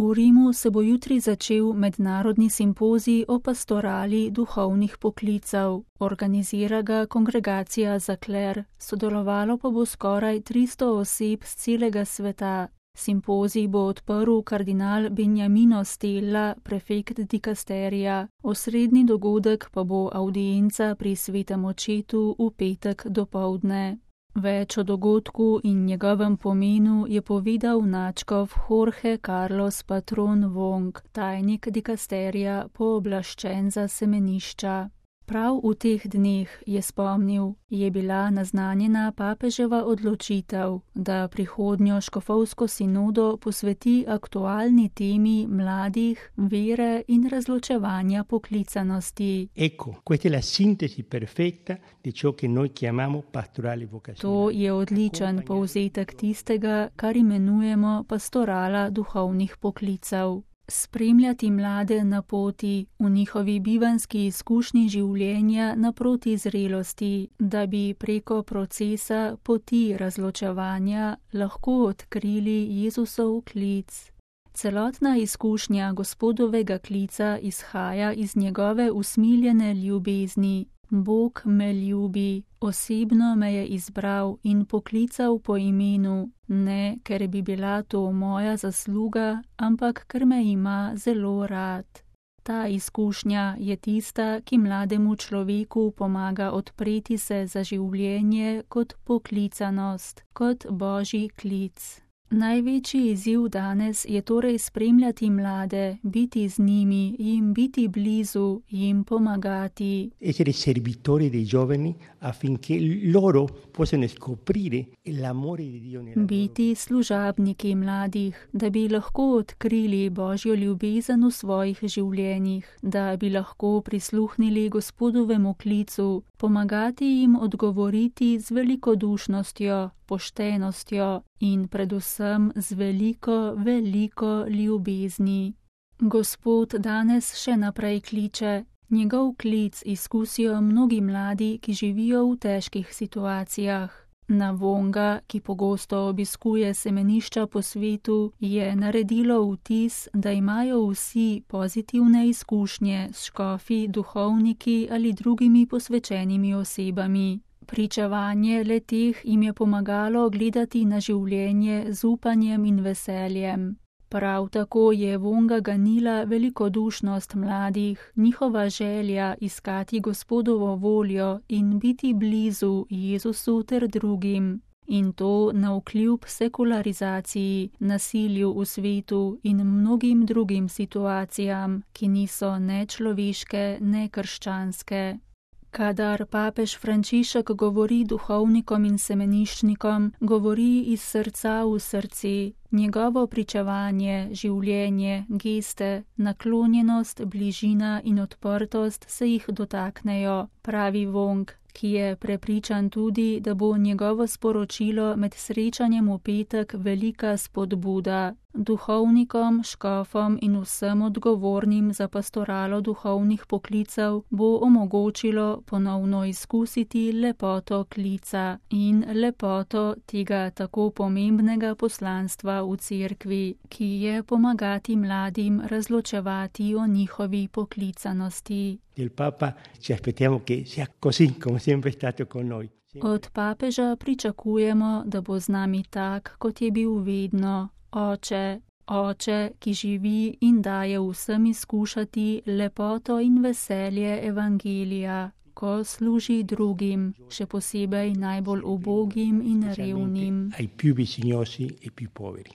V Rimu se bo jutri začel mednarodni simpozij o pastorali duhovnih poklicev. Organizira ga Kongregacija za kler, sodelovalo pa bo skoraj 300 oseb z celega sveta. Simpozij bo odprl kardinal Beniamino Stella, prefekt dikasterija. Osrednji dogodek pa bo avdienca pri svetem očetu v petek dopoldne. Več o dogodku in njegovem pomenu je povedal nadškof Jorge Carlos Patron Wong, tajnik dikasterija, pooblaščen za semenišča. Prav v teh dneh, je spomnil, je bila naznanjena papeževa odločitev, da prihodnjo škofovsko sinodo posveti aktualni temi mladih, vere in razločevanja poklicanosti. Ecco, questa è la sintesi perfetta di ciò che noi chiamiamo pastorale vocazionale. To je odličen povzetek tistega, kar imenujemo pastorala duhovnih poklicev. Spremljati mlade na poti, v njihovi bivanski izkušnji življenja naproti zrelosti, da bi preko procesa poti razločevanja lahko odkrili Jezusov klic. Celotna izkušnja Gospodovega klica izhaja iz njegove usmiljene ljubezni. Bog me ljubi, osebno me je izbral in poklical po imenu, ne ker bi bila to moja zasluga, ampak ker me ima zelo rad. Ta izkušnja je tista, ki mlademu človeku pomaga odpreti se za življenje kot poklicanost, kot Božji klic. Največji izziv danes je torej spremljati mlade, biti z njimi, jim biti blizu, jim pomagati. Essere servitori dei giovani affinché loro possano scoprire l'amore di Dio nella loro vita. Biti služabniki mladih, da bi lahko odkrili Božjo ljubezen v svojih življenjih, da bi lahko prisluhnili Gospodovemu klicu, pomagati jim odgovoriti z velikodušnostjo, poštenostjo in predvsem z veliko, veliko ljubezni. Gospod danes še naprej kliče. Njegov klic izkusijo mnogi mladi, ki živijo v težkih situacijah. Na Wonga, ki pogosto obiskuje semenišča po svetu, je naredilo vtis, da imajo vsi pozitivne izkušnje s škofi, duhovniki ali drugimi posvečenimi osebami. Pričevanje le-teh jim je pomagalo gledati na življenje z upanjem in veseljem. Prav tako je Wonga ganila velikodušnost mladih, njihova želja iskati Gospodovo voljo in biti blizu Jezusu ter drugim. In to navkljub sekularizaciji, nasilju v svetu in mnogim drugim situacijam, ki niso ne človeške, ne krščanske. Kadar papež Frančišek govori duhovnikom in semeniščnikom, govori iz srca v srce. Njegovo pričevanje, življenje, geste, naklonjenost, bližina in odprtost se jih dotaknejo, pravi Wong, ki je prepričan tudi, da bo njegovo sporočilo med srečanjem v petek velika spodbuda. Duhovnikom, škofom in vsem odgovornim za pastoralo duhovnih poklicev bo omogočilo ponovno izkusiti lepoto klica in lepoto tega tako pomembnega poslanstva v cerkvi, ki je pomagati mladim razločevati o njihovi poklicanosti. Del Papa ci aspettiamo che sia così, come sempre è stato con noi. Od papeža pričakujemo, da bo z nami tak, kot je bil vedno. Oče, ki živi in daje vsem izkušati lepoto in veselje evangelija, ko služi drugim, še posebej najbolj ubogim in revnim. Ai più bisognosi e più poveri.